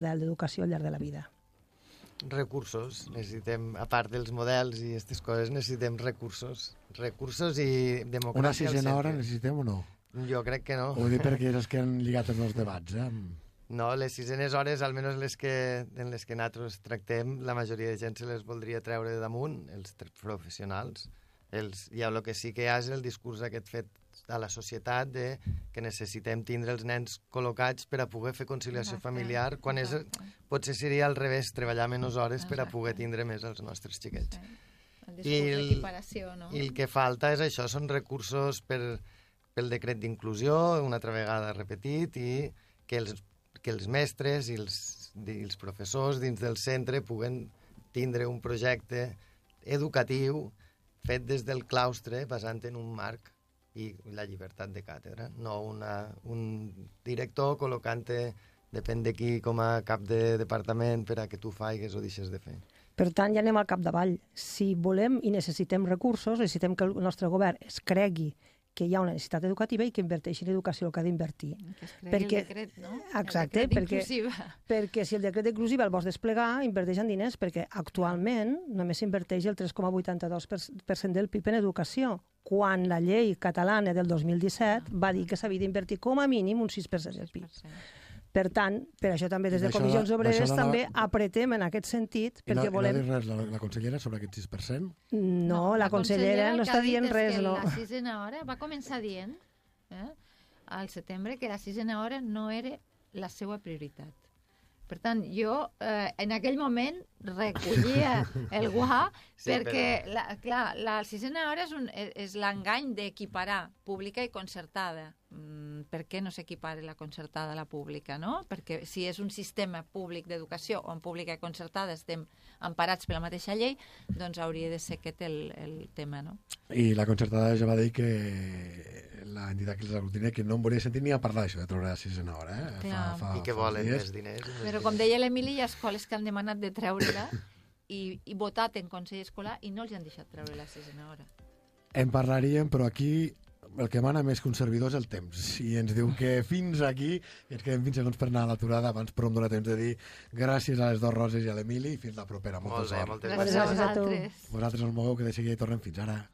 d'educació al llarg de la vida. Recursos, necessitem, a part dels models i aquestes coses, necessitem recursos i democràcia. Una sisena hora necessitem o no? Jo crec que no. Ho dic perquè és que han lligat els nous debats, No, les sisenes hores, almenys en les que nosaltres tractem, la majoria de gent se les voldria treure de damunt, els professionals. Ja el que sí que hi ha és el discurs aquest fet a la societat de que necessitem tindre els nens col·locats per a poder fer conciliació familiar, quan potser seria al revés, treballar menys hores per a poder tindre més els nostres xiquets. I el que falta és això, són recursos pel decret d'inclusió, una altra vegada repetit, i que els mestres i els professors dins del centre puguen tindre un projecte educatiu fet des del claustre, basant en un marc i la llibertat de càtedra, no un director col·locant-te, depèn de qui, com a cap de departament per a que tu faigues o deixes de fer. Per tant, ja anem al capdavall. Si volem i necessitem recursos, necessitem que el nostre govern es cregui que hi ha una necessitat educativa i que inverteixi en educació el que ha d'invertir. Que es cregui el decret, no? Exacte, perquè si el decret d'inclusiva el vols desplegar, inverteix en diners, perquè actualment només s'inverteix el 3,82% del PIB en educació, quan la llei catalana del 2017 va dir que s'havia d'invertir com a mínim un 6% del PIB. Per tant, per això també des de Comissions Obreres també apretem en aquest sentit, perquè volem... I no ha dit res la consellera sobre aquest 6%? No, la consellera no està dient res, no. La sisena hora va començar dient al setembre que la sisena hora no era la seva prioritat. Per tant, jo en aquell moment recollia el guà perquè, clar, la sisena hora és l'engany d'equiparar pública i concertada. Per què no s'equipara la concertada a la pública, no? Perquè si és un sistema públic d'educació on pública i concertada estem emparats per la mateixa llei, doncs hauria de ser aquest el tema, no? I la concertada ja va dir que l'entitat que els aglutina que no em volia sentir ni a parlar d'això, de treure la sisena hora. I que volen més diners. Però com deia l'Emili, hi ha escoles que han demanat de treure-la i votat en Consell Escolar i no els han deixat treure la sisena hora. En parlaríem, però aquí el que mana més que un servidor és el temps, i ens diu que fins aquí, i ens quedem 20 segons per anar a l'aturada, abans però em dóna temps de dir gràcies a les dues Roses i a l'Emili, i fins la propera. Molta sort. Moltes gràcies a tu. Vosaltres no us mogueu, que de seguida hi tornem. Fins ara.